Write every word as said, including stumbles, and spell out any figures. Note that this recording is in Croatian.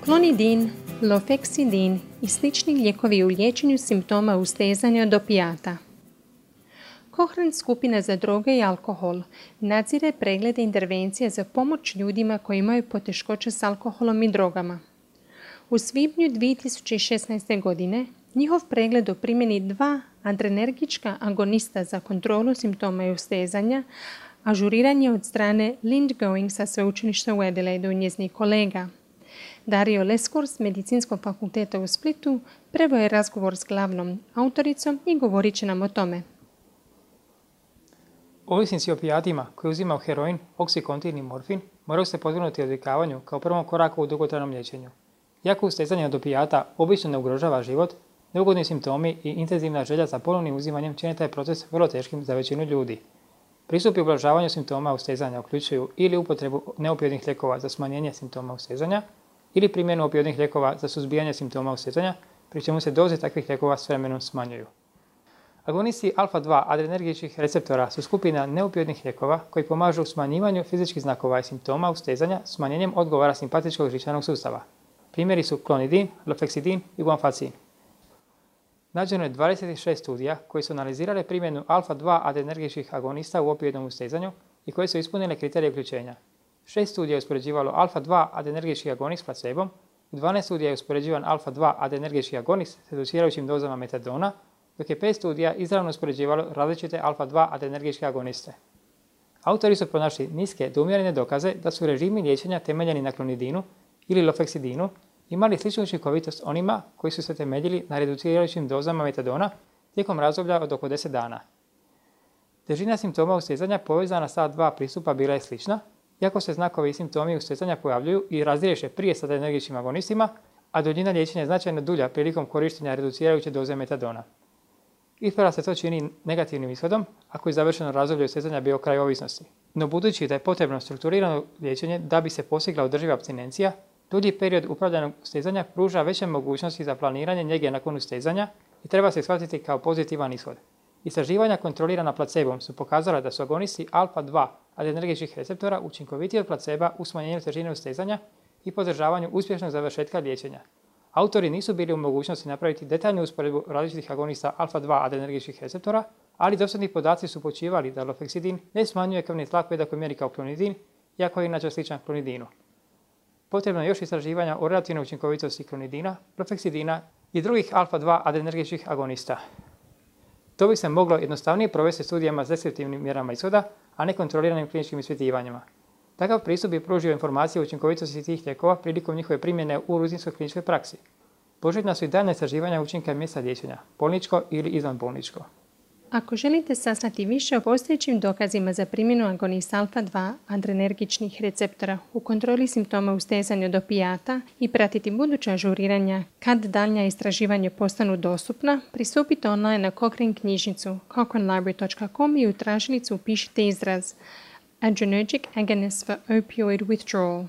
Klonidin, lofeksidin i slični lijekovi u liječenju simptoma ustezanja od opijata. Cochrane skupina za droge i alkohol nadzire preglede intervencije za pomoć ljudima koji imaju poteškoće s alkoholom i drogama. U svibnju dvije tisuće šesnaeste. godine njihov pregled o primjeni dva adrenergička agonista za kontrolu simptoma i ustezanja ažuriran je od strane Lind Going sa sveučilišta u Adelaidu i njezinih kolega. Dario Leskor s Medicinskog fakulteta u Splitu preveo je razgovor s glavnom autoricom i govorit će nam o tome. Ovisnici o opijatima koji uzimaju heroin, oksikontin i morfin moraju se podvrgnuti odvikavanju kao prvom koraku u dugotrajnom liječenju. Iako ustezanje od opijata obično ne ugrožava život, neugodni simptomi i intenzivna želja za ponovnim uzimanjem čine taj proces vrlo teškim za većinu ljudi. Pristupi ublažavanju simptoma ustezanja uključuju ili upotrebu neopijodnih lijekova za smanjenje simptoma ustezanja ili primjenu opijodnih lijekova za suzbijanje simptoma ustezanja, pri čemu se doze takvih lijekova s vremenom smanjuju. Agonisti alfa dva adrenergičkih receptora su skupina neopijodnih lijekova koji pomažu u smanjivanju fizičkih znakova i simptoma ustezanja smanjenjem odgovora simpatičkog živčanog sustava. Primjeri su klonidin, lofeksidin i guanfacin. Nađeno je dvadeset šest studija koji su analizirale primjenu alfa dva adrenergičkih agonista u opijodnom ustezanju i koje su ispunile kriterije uključenja. Šest studija je uspoređivalo alfa dva adrenergički agonist s placebom, u dvanaest studija je uspoređivan alfa dva adrenergički agonist s reducirajućim dozama metadona, dok je pet studija izravno uspoređivalo različite alfa dva adrenergičke agoniste. Autori su pronašli niske do umjerene dokaze da su režimi liječenja temeljeni na klonidinu ili lofeksidinu imali sličnu učinkovitost onima koji su se temeljili na reducirajućim dozama metadona tijekom razdoblja od oko deset dana. Težina simptoma ustezanja povezana sa dva pristupa bila je slična, iako se znakovi i simptomi ustezanja pojavljuju i razriješe prije s adrenergičkim agonistima, a duljina liječenja je značajno dulja prilikom korištenja reducirajuće doze metadona. Isprva se to čini negativnim ishodom ako je završeno razdoblje ustezanja bio kraj ovisnosti. No budući da je potrebno strukturirano liječenje da bi se postigla održiva apstinencija, dulji period upravljanog ustezanja pruža veće mogućnosti za planiranje njege nakon ustezanja i treba se shvatiti kao pozitivan ishod. Istraživanja kontrolirana placebom su pokazala da su agonisti alfa dva adrenergičkih receptora učinkovitiji od placeba u smanjenju težine ustezanja i podržavanju uspješnog završetka liječenja. Autori nisu bili u mogućnosti napraviti detaljnu usporedbu različitih agonista alfa dva adrenergičkih receptora, ali dosadni podaci su počivali da lofeksidin ne smanjuje krvni tlak u jednakoj mjeri kao klonidin, iako je inače sličan klonidinu. Potrebno je još istraživanja o relativnoj učinkovitosti klonidina, lofeksidina i drugih alfa dva adrenergičkih agonista. To bi se moglo jednostavnije provesti studijama s deskriptivnim mjerama ishoda, a ne kontroliranim kliničkim ispitivanjima. Takav pristup bi pružio informacije o učinkovitosti tih lijekova prilikom njihove primjene u rutinskoj kliničkoj praksi. Poželjna su i daljnja istraživanja učinka mjesta liječenja, bolničko ili izvanbolničko. Ako želite saznati više o postojećim dokazima za primjenu agonista alfa dva adrenergičnih receptora u kontroli simptoma ustezanja od opijata i pratiti buduća ažuriranja kad daljnja istraživanja postanu dostupna, pristupite online na Cochrane knjižnicu cochrane library dot com i u tražilicu upišite izraz Adrenergic agonist for opioid withdrawal.